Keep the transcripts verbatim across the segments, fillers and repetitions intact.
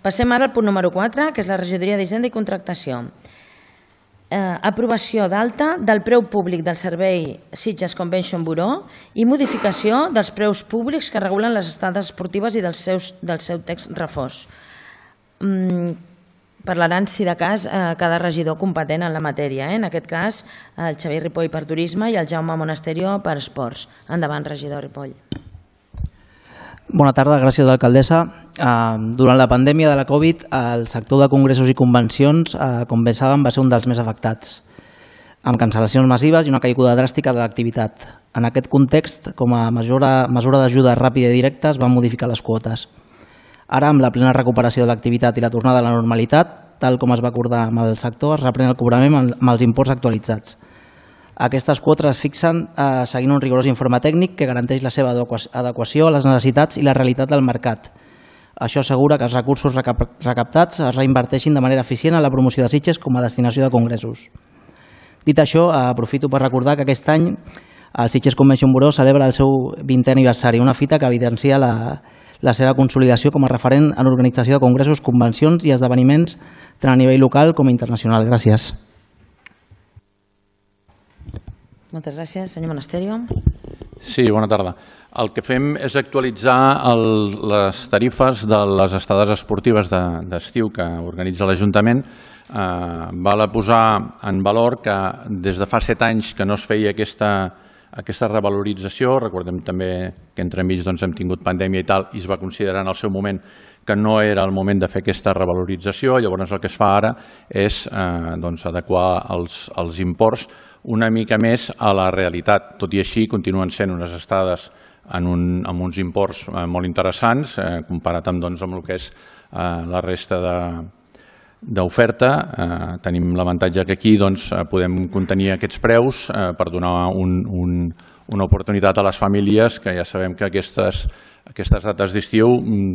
Passem ara al punt número quatre, que és la regidoria d'Hisenda i Contractació. Aprovació d'alta del preu públic del servei Sitges Convention Bureau i modificació dels preus públics que regulen les estades esportives i del seu text refós. Parlaran, si de cas, cada regidor competent en la matèria. En aquest cas, el Xavier Ripoll per Turisme i el Jaume Monasterio per Esports. Endavant, regidor Ripoll. Bona tarda, gràcies alcaldessa. Durant la pandèmia de la Covid, el sector de congressos i convencions, com bé saben, va ser un dels més afectats, amb cancel·lacions massives i una caiguda dràstica de l'activitat. En aquest context, com a mesura d'ajuda ràpida i directa, es van modificar les quotes. Ara, amb la plena recuperació de l'activitat i la tornada a la normalitat, tal com es va acordar amb el sector, es reprèn el cobrament amb els imports actualitzats. Aquestes quotes es fixen seguint un rigorós informe tècnic que garanteix la seva adequació a les necessitats i la realitat del mercat. Això assegura que els recursos recaptats es reinverteixin de manera eficient a la promoció de Sitges com a destinació de congressos. Dit això, aprofito per recordar que aquest any el Sitges Convention Bureau celebra el seu vintè aniversari, una fita que evidencia la, la seva consolidació com a referent en l'organització de congressos, convencions i esdeveniments tant a nivell local com internacional. Gràcies. Moltes gràcies. Senyor Monasterio. Sí, bona tarda. El que fem és actualitzar les tarifes de les estades esportives d'estiu que organitza l'Ajuntament. Val a posar en valor que des de fa set anys que no es feia aquesta revalorització. Recordem també que entremig hem tingut pandèmia i tal, i es va considerar en el seu moment que no era el moment de fer aquesta revalorització. Llavors el que es fa ara és adequar els imports una mica més a la realitat. Tot i així, continuen sent unes estades amb uns imports molt interessants, comparat amb el que és la resta d'oferta. Tenim l'avantatge que aquí podem contenir aquests preus per donar una oportunitat a les famílies, que ja sabem que aquestes dates d'estiu,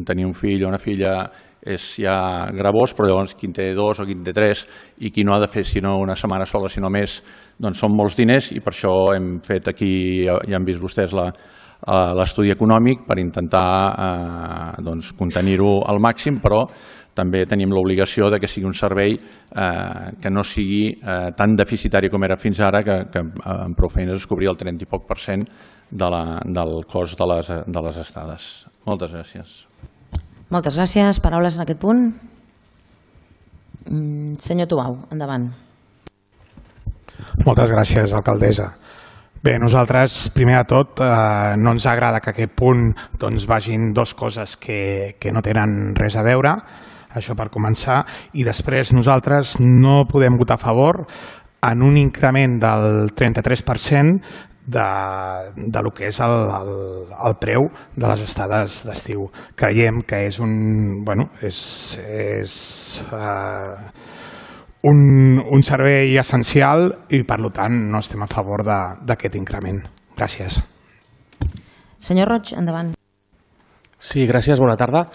tenir un fill o una filla és ja gravós, però llavors qui en té dos o qui en té tres i qui no ha de fer sinó una setmana sola, sinó més, doncs són molts diners, i per això hem fet aquí, ja han vist vostès l'estudi econòmic per intentar contenir-ho al màxim, però també tenim l'obligació que sigui un servei que no sigui tan deficitari com era fins ara, que amb prou feines es cobria el trenta i poc per cent del cost de les estades. Moltes gràcies. Moltes gràcies. Paraules en aquest punt? Senyor Tubau, endavant. Moltes gràcies, alcaldessa. Bé, nosaltres, primer de tot, no ens agrada que a aquest punt vagin dues coses que no tenen res a veure, això per començar, i després nosaltres no podem votar a favor en un increment del trenta-tres per cent de lo que és el preu de les estades d'estiu. Creiem que és un servei essencial i, per tant, no estem a favor d'aquest increment. Gràcies. Senyor Roig, endavant. Sí, gràcies, bona tarda.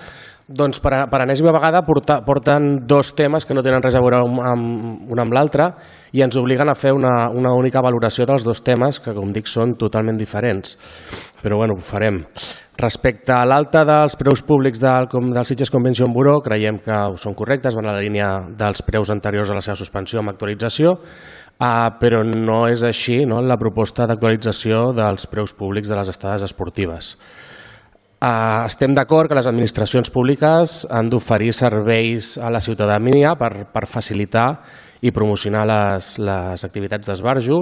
Doncs per enèsima vegada porten dos temes que no tenen res a veure un amb l'altre i ens obliguen a fer una única valoració dels dos temes que, com dic, són totalment diferents. Però bé, ho farem. Respecte a l'alta dels preus públics del Sitges Convention Bureau, creiem que són correctes, van a la línia dels preus anteriors a la seva suspensió amb actualització, però no és així la proposta d'actualització dels preus públics de les estades esportives. Estem d'acord que les administracions públiques han d'oferir serveis a la ciutadania per facilitar i promocionar les activitats d'esbarjo,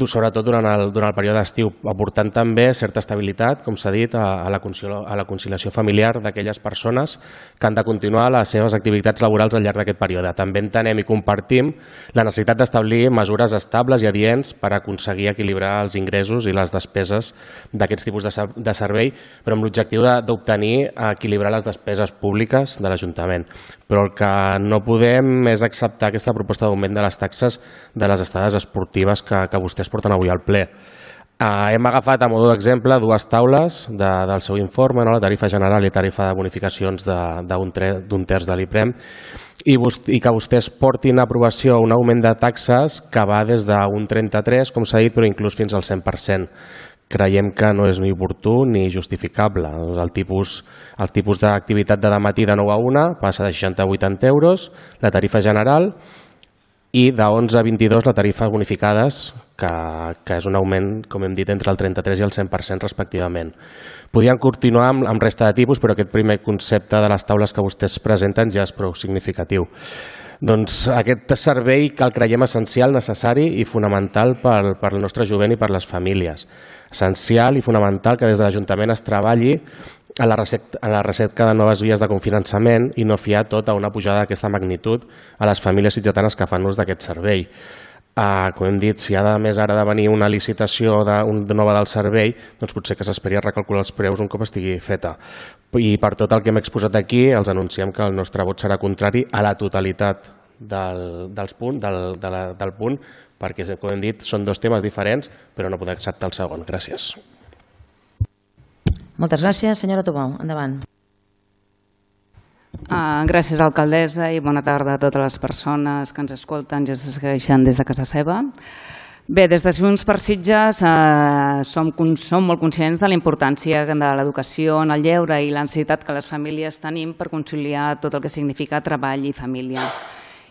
sobretot durant el període d'estiu, aportant també certa estabilitat, com s'ha dit, a la conciliació familiar d'aquelles persones que han de continuar les seves activitats laborals al llarg d'aquest període. També entenem i compartim la necessitat d'establir mesures estables i adients per aconseguir equilibrar els ingressos i les despeses d'aquests tipus de servei, però amb l'objectiu d'obtenir equilibrar les despeses públiques de l'Ajuntament. Però el que no podem és acceptar aquesta proposta d'augment de les taxes de les estades esportives que vostès porten avui al ple. Hem agafat a mode d'exemple dues taules del seu informe, la tarifa general i tarifa de bonificacions d'un terç de l'IPREM, i que vostès portin a aprovació un augment de taxes que va des d'un trenta-tres, com s'ha dit, però inclús fins al cent per cent, creiem que no és ni oportú ni justificable. El tipus, el tipus d'activitat de dematí de nou a una passa de seixanta a vuitanta euros, la tarifa general, i de onze a vint-i-dos la tarifa bonificades, que, que és un augment, com hem dit, entre el trenta-tres i el cent per cent respectivament. Podríem continuar amb, amb resta de tipus, però aquest primer concepte de les taules que vostès presenten ja és prou significatiu. Doncs aquest servei que el creiem essencial, necessari i fonamental per, per el nostre jovent i per les famílies. Essencial i fonamental que des de l'Ajuntament es treballi a la, recerca, a la recerca de noves vies de cofinançament i no fiar tot a una pujada d'aquesta magnitud a les famílies sitgetanes que fan ús d'aquest servei. Uh, com hem dit, si ha de més ara de venir una licitació de, un, de nova del servei, doncs potser que s'esperi a recalcular els preus un cop estigui feta. I per tot el que hem exposat aquí, els anunciem que el nostre vot serà contrari a la totalitat del, dels punt, del, de la, del punt, perquè, com hem dit, són dos temes diferents, però no podem acceptar el segon. Gràcies. Moltes gràcies. Senyora Tubau, endavant. Uh, gràcies, alcaldessa, i bona tarda a totes les persones que ens escolten i ens segueixen des de casa seva. Bé, des de Junts per Sitges eh, som, som molt conscients de la importància de l'educació en el lleure i la necessitat que les famílies tenim per conciliar tot el que significa treball i família.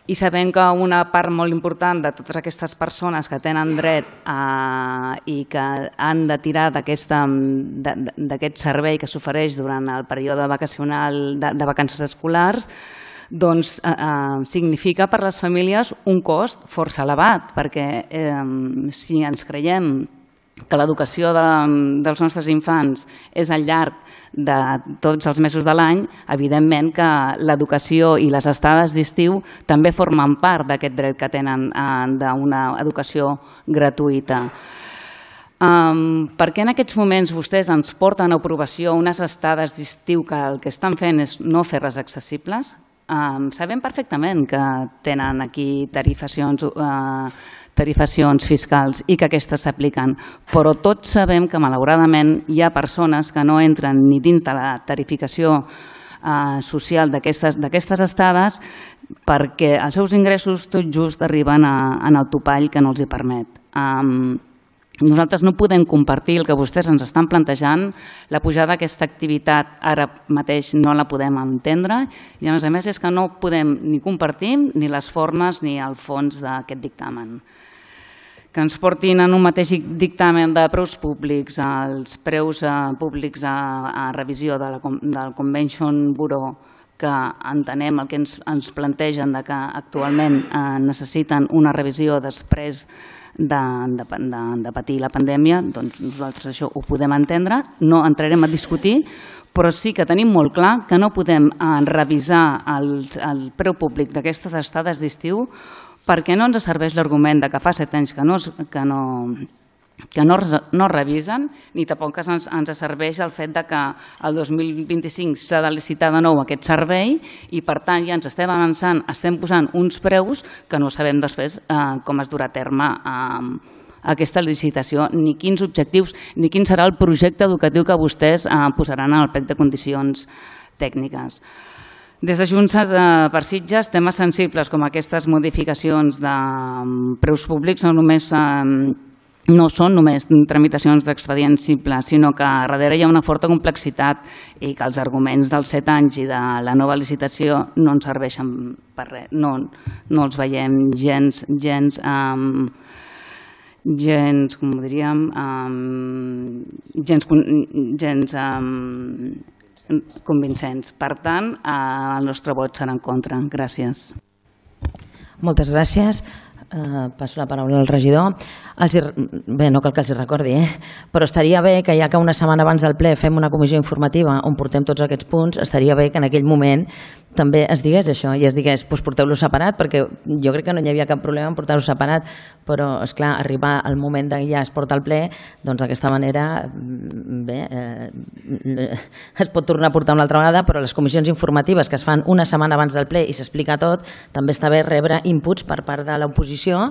I sabem que una part molt important de totes aquestes persones que tenen dret a, i que han de tirar d'aquest servei que s'ofereix durant el període vacacional de, de vacances escolars, doncs eh, eh, significa per les famílies un cost força elevat, perquè eh, si ens creiem que l'educació de, dels nostres infants és al llarg de tots els mesos de l'any, evidentment que l'educació i les estades d'estiu també formen part d'aquest dret que tenen eh, d'una educació gratuïta. Um, per què en aquests moments vostès ens porten a aprovació unes estades d'estiu que el que estan fent és no fer-les accessibles? Um, sabem perfectament que tenen aquí tarifacions uh, tarifacions fiscals i que aquestes s'apliquen, però tots sabem que malauradament hi ha persones que no entren ni dins de la tarificació eh, social d'aquestes estades perquè els seus ingressos tot just arriben a, en el topall que no els hi permet. Um, Nosaltres no podem compartir el que vostès ens estan plantejant, la pujada d'aquesta activitat ara mateix no la podem entendre i a més a més és que no podem ni compartir ni les formes ni el fons d'aquest dictamen. Que ens portin en un mateix dictamen de preus públics, els preus públics a revisió del Convention Bureau, que entenem el que ens plantegen que actualment necessiten una revisió després de, de, de, de patir la pandèmia, doncs nosaltres això ho podem entendre, no entrarem a discutir, però sí que tenim molt clar que no podem revisar el, el preu públic d'aquestes estades d'estiu perquè no ens serveix l'argument que fa set anys que no, que no, que no, no revisen, ni tampoc ens, ens serveix el fet que el dos mil vint-i-cinc s'ha de licitar de nou aquest servei i per tant ja ens estem avançant, estem posant uns preus que no sabem després eh, com es durà a terme eh, aquesta licitació, ni quins objectius, ni quin serà el projecte educatiu que vostès eh, posaran en el plec de condicions tècniques. Des de Junts per Sitges, temes sensibles com aquestes modificacions de preus públics no només no són només tramitacions d'expedient simple, sinó que darrere hi ha una forta complexitat i que els arguments dels set anys i de la nova licitació no ens serveixen per res, no, no els veiem gens, gens, um, gens, com ho diríem, um, gens, gens um, convincents. Per tant, el nostre vot serà en contra. Gràcies. Moltes gràcies. Uh, passo la paraula al regidor. Els, bé, no cal que els recordi, eh? Però estaria bé que ja que una setmana abans del ple fem una comissió informativa on portem tots aquests punts, estaria bé que en aquell moment també es digués això i es digués, doncs porteu-lo separat, perquè jo crec que no hi havia cap problema en portar-ho separat, però, esclar, arribar al moment de ja es porta al ple, doncs d'aquesta manera, bé, eh, es pot tornar a portar una altra vegada, però les comissions informatives que es fan una setmana abans del ple i s'explica tot, també està bé rebre inputs per part de l'oposició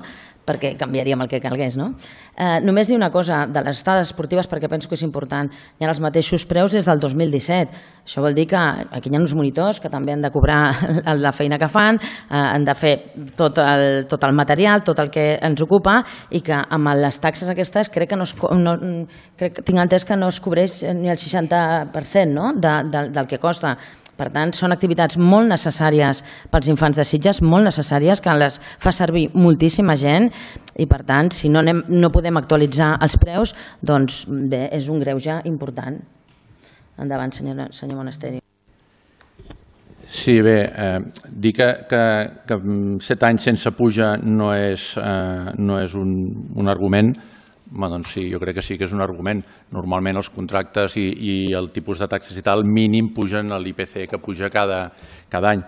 perquè canviaríem el que calgués. No? Eh, només dir una cosa de les estades esportives, perquè penso que és important. Hi ha els mateixos preus des del dos mil disset. Això vol dir que aquí hi ha uns monitors que també han de cobrar la feina que fan, eh, han de fer tot el, tot el material, tot el que ens ocupa, i que amb les taxes aquestes crec que no es, no, crec que tinc entès que no es cobreix ni el seixanta per cent no? de, de, del que costa. Per tant, són activitats molt necessàries pels infants de Sitges, molt necessàries, que les fa servir moltíssima gent, i per tant, si no, anem, no podem actualitzar els preus, doncs bé, és un greuge important. Endavant, senyor, senyor Monasteri. Sí, bé, eh, dir que, que, que set anys sense puja no és, eh, no és un, un argument. Bé, doncs sí, jo crec que sí que és un argument. Normalment els contractes i, i el tipus de taxes i tal mínim pugen a l'I P C que puja cada, cada any.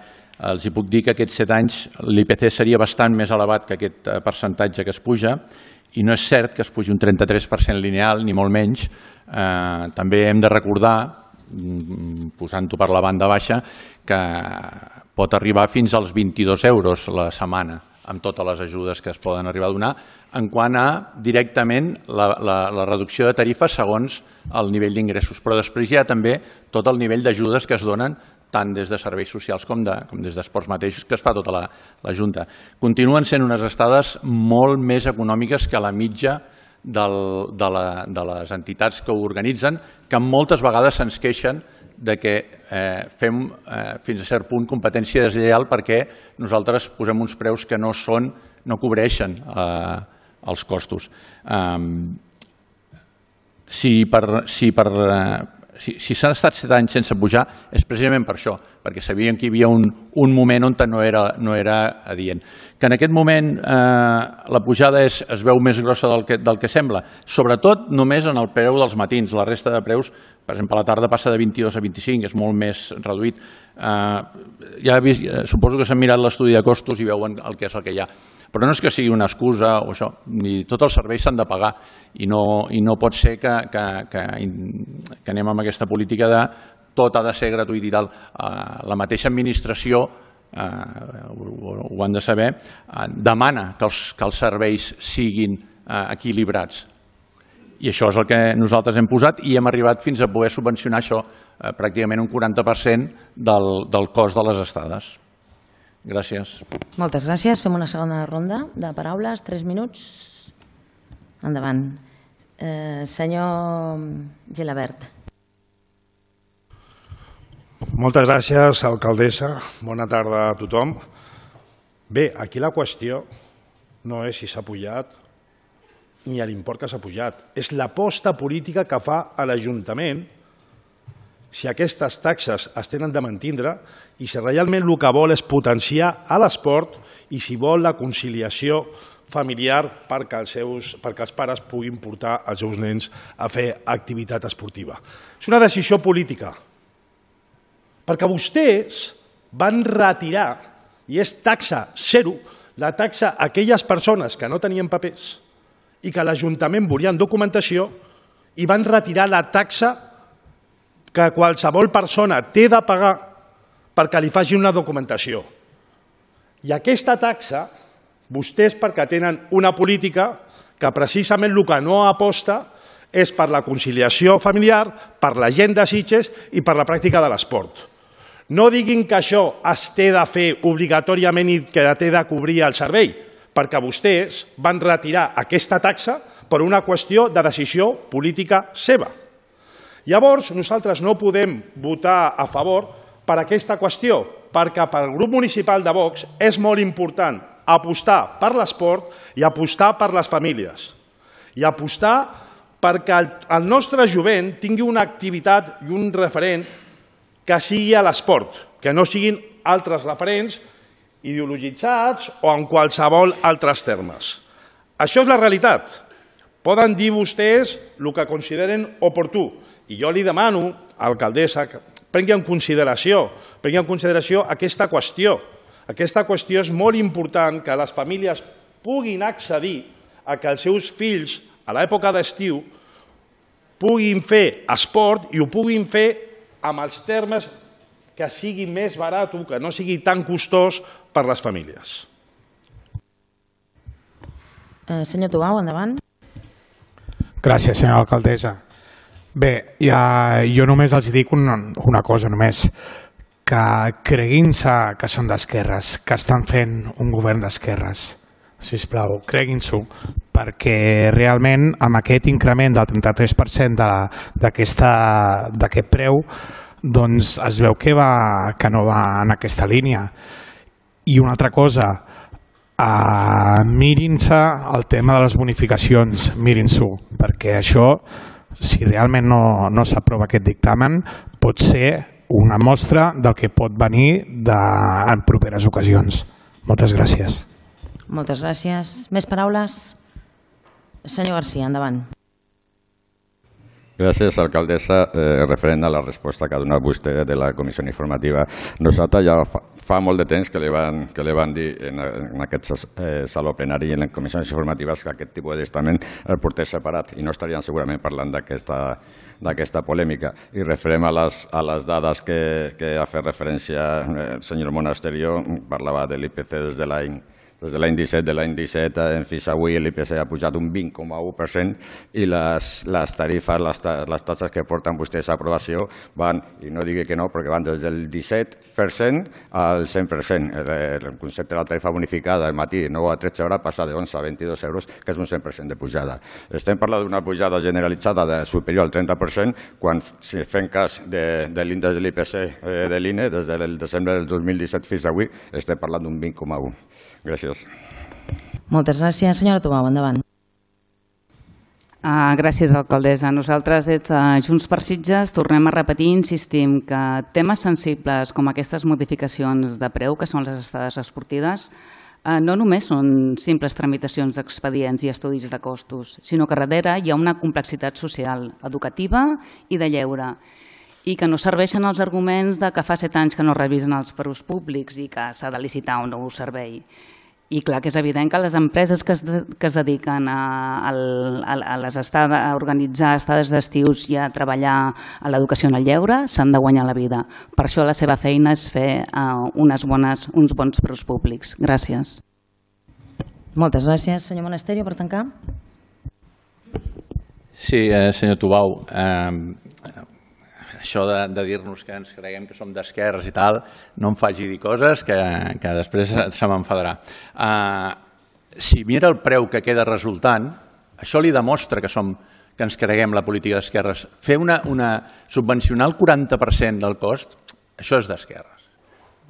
Els hi puc dir que aquests set anys l'I P C seria bastant més elevat que aquest percentatge que es puja, i no és cert que es pugi un trenta-tres per cent lineal, ni molt menys. Eh, també hem de recordar, posant-ho per la banda baixa, que pot arribar fins als vint-i-dos euros la setmana, amb totes les ajudes que es poden arribar a donar, en quant a directament la, la, la reducció de tarifes segons el nivell d'ingressos. Però després hi ha també tot el nivell d'ajudes que es donen tant des de serveis socials com, de, com des d'esports mateixos, que es fa tota la, la Junta. Continuen sent unes estades molt més econòmiques que la mitja del, de, la, de les entitats que ho organitzen, que moltes vegades se'ns queixen de que eh, fem eh, fins a cert punt competència deslleial perquè nosaltres posem uns preus que no són, no cobreixen eh, els costos. Um, si per, si per, uh, si, si s'han estat set anys sense pujar és precisament per això, perquè sabíem que hi havia un, un moment on no era, no era adient. Que en aquest moment eh, la pujada és, es veu més grossa del que, del que sembla, sobretot només en el preu dels matins. La resta de preus, per exemple, a la tarda passa de vint-i-dos a vint-i-cinc, és molt més reduït. Eh, ja he vist, suposo que s'han mirat l'estudi de costos i veuen el que és el que hi ha. Però no és que sigui una excusa o això, ni tots els serveis s'han de pagar i no, i no pot ser que, que, que, que anem amb aquesta política de tot ha de ser gratuït i tal. La mateixa administració, eh, ho, ho han de saber, eh, demana que els, que els serveis siguin eh, equilibrats. I això és el que nosaltres hem posat i hem arribat fins a poder subvencionar això, eh, pràcticament un quaranta per cent del, del cost de les estades. Gràcies. Moltes gràcies. Fem una segona ronda de paraules. Tres minuts. Endavant. Eh, senyor Gilabert. Moltes gràcies, alcaldessa. Bona tarda a tothom. Bé, aquí la qüestió no és si s'ha pujat ni l'import que s'ha pujat. És l'aposta política que fa l'Ajuntament si aquestes taxes es tenen de mantindre i si realment el que vol és potenciar l'esport i si vol la conciliació familiar perquè els, seus, perquè els pares puguin portar els seus nens a fer activitat esportiva. És una decisió política, perquè vostès van retirar, i és taxa zero, la taxa a aquelles persones que no tenien papers i que l'Ajuntament volien documentació i van retirar la taxa que qualsevol persona té de pagar perquè li facin una documentació. I aquesta taxa, vostès perquè tenen una política que precisament el que no aposta és per la conciliació familiar, per la gent de Sitges i per la pràctica de l'esport. No diguin que això es té de fer obligatòriament i que té de cobrir el servei, perquè vostès van retirar aquesta taxa per una qüestió de decisió política seva. Llavors, nosaltres no podem votar a favor per aquesta qüestió, perquè per al grup municipal de Vox és molt important apostar per l'esport i apostar per les famílies. I apostar perquè el nostre jovent tingui una activitat i un referent que sigui a l'esport, que no siguin altres referents ideologitzats o en qualsevol altres termes. Això és la realitat. Poden dir vostès el que consideren oportú. I jo li demano, alcaldessa, que prengui en consideració, prengui en consideració aquesta qüestió. Aquesta qüestió és molt important que les famílies puguin accedir a que els seus fills, a l'època d'estiu, puguin fer esport i ho puguin fer amb els termes que sigui més barat, que no sigui tan costós per les famílies. Senyor Tubau, endavant. Gràcies, senyora alcaldessa. Bé, ja, jo només els dic una, una cosa, només, que creguin-se que són d'esquerres, que estan fent un govern d'esquerres. Sisplau, creguin-s'ho, perquè realment amb aquest increment del trenta-tres per cent d'aquest preu doncs es veu que, va, que no va en aquesta línia. I una altra cosa, uh, mirin-se el tema de les bonificacions, mirin-s'ho, perquè això, si realment no, no s'aprova aquest dictamen, pot ser una mostra del que pot venir de, en properes ocasions. Moltes gràcies. Moltes gràcies. Més paraules? Senyor García, endavant. Gràcies, alcaldessa. Eh, referent a la resposta que ha donat vostè de la comissió informativa, nosaltres ja fa, fa molt de temps que li van, que li van dir en, en aquest eh, saló plenari i en les comissions informatives que aquest tipus de testament el portés separat i no estarien segurament parlant d'aquesta d'aquesta polèmica. I referent a les, a les dades que, que ha fet referència el senyor Monasterio, parlava de l'I P C des de l'any Des de l'any disset, de l'any disset, en fins avui l'I P C ha pujat un vint coma u per cent i les, les tarifes, les, les taxes que porten vostès a aprovació van, i no digui que no, perquè van des del disset per cent al cent per cent. El, el concepte de la tarifa bonificada al matí, nou a tretze hores, passa de onze a vint-i-dos euros, que és un cent per cent de pujada. Estem parlant d'una pujada generalitzada de superior al trenta per cent, quan, si fem cas de, de l'índex de l'I P C eh, de l'I N E, des del desembre del dos mil disset fins avui, estem parlant d'un vint coma u. Gràcies. Moltes gràcies. Senyora Tubau, endavant. Uh, gràcies, alcaldessa. Nosaltres, des de Junts per Sitges, tornem a repetir i insistim que temes sensibles com aquestes modificacions de preu, que són les estades esportives, uh, no només són simples tramitacions d'expedients i estudis de costos, sinó que darrere hi ha una complexitat social, educativa i de lleure, i que no serveixen els arguments de que fa set anys que no revisen els preus públics i que s'ha de licitar un nou servei. I clar que és evident que les empreses que es, de, que es dediquen a, a, a, les estades, a organitzar estades d'estius i a treballar a l'educació en el lleure s'han de guanyar la vida. Per això la seva feina és fer uh, unes bones, uns bons preus públics. Gràcies. Moltes gràcies. Senyor Monasterio, per tancar. Sí, eh, senyor Tubau, eh, això de, de dir-nos que ens creguem que som d'esquerres i tal, no em faci dir coses que, que després se m'enfadarà. Uh, si mira el preu que queda resultant, això li demostra que, som, que ens creguem la política d'esquerres. Fer una, una, subvencionar el quaranta per cent del cost, això és d'esquerres.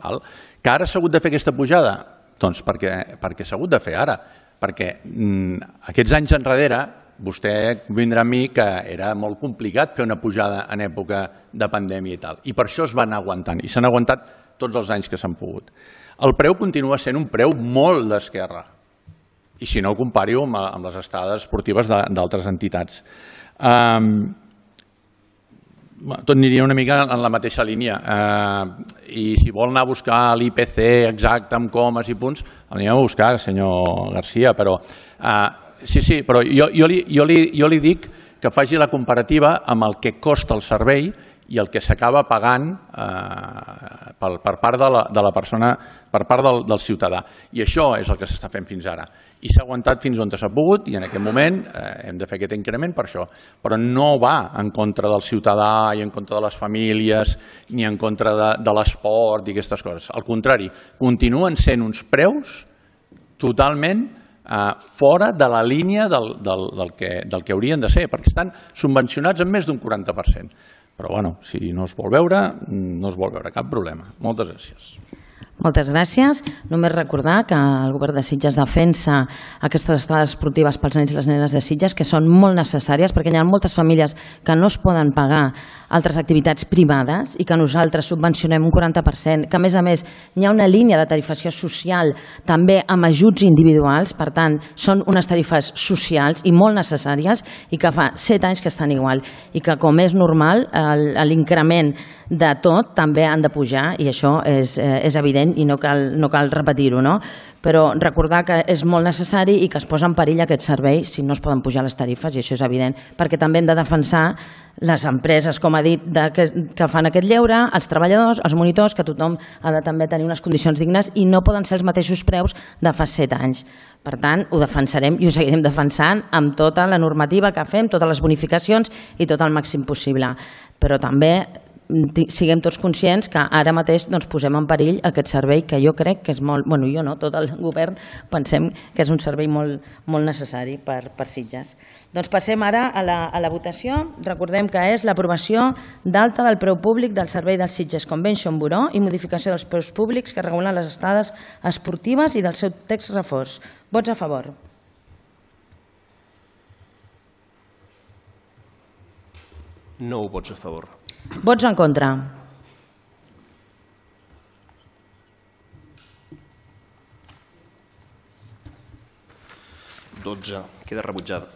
Que ara s'ha hagut de fer aquesta pujada? Doncs perquè, perquè s'ha hagut de fer ara. Perquè mm, aquests anys enrere, vostè vindrà amb mi que era molt complicat fer una pujada en època de pandèmia i tal. I per això es van aguantant. I s'han aguantat tots els anys que s'han pogut. El preu continua sent un preu molt d'esquerra. I si no, compari-ho amb, amb les estades esportives d'altres entitats. Um, tot aniria una mica en la mateixa línia. Uh, I si vol anar a buscar l'I P C exacte amb comes i punts, l'anem a buscar, senyor García, però... Uh, Sí, sí, però jo, jo, li, jo, li, jo li dic que faci la comparativa amb el que costa el servei i el que s'acaba pagant eh, per, per part de la, de la persona, per part del, del ciutadà. I això és el que s'està fent fins ara. I s'ha aguantat fins on s'ha pogut i en aquest moment eh, hem de fer aquest increment per això. Però no va en contra del ciutadà i en contra de les famílies ni en contra de, de l'esport i aquestes coses. Al contrari, continuen sent uns preus totalment Uh, fora de la línia del, del, del, que, del que haurien de ser, perquè estan subvencionats en més d'un quaranta per cent. Però bueno, si no es vol veure, no es vol veure, cap problema. Moltes gràcies. Moltes gràcies. Només recordar que el Govern de Sitges defensa aquestes estades esportives pels nens i les nenes de Sitges, que són molt necessàries perquè hi ha moltes famílies que no es poden pagar altres activitats privades i que nosaltres subvencionem un quaranta per cent, que a més a més hi ha una línia de tarifació social també amb ajuts individuals, per tant són unes tarifes socials i molt necessàries i que fa set anys que estan igual i que, com és normal, l'increment de tot també han de pujar i això és, és evident i no cal, no cal repetir-ho, no? Però recordar que és molt necessari i que es posa en perill aquest servei si no es poden pujar les tarifes, i això és evident, perquè també hem de defensar les empreses, com ha dit, de, que, que fan aquest lleure, els treballadors, els monitors, que tothom ha de també tenir unes condicions dignes i no poden ser els mateixos preus de fa set anys. Per tant, ho defensarem i ho seguirem defensant amb tota la normativa que fem, totes les bonificacions i tot el màxim possible. Però també siguem tots conscients que ara mateix doncs, posem en perill aquest servei que jo crec que és molt, bueno, jo no, tot el govern pensem que és un servei molt, molt necessari per, per Sitges. Doncs passem ara a la, a la votació. Recordem que és l'aprovació d'alta del preu públic del servei del Sitges Convention Bureau i modificació dels preus públics que regulen les estades esportives i del seu text reforç. Vots a favor. Nou vots a favor. Vots en contra. dotze. Queda rebutjada.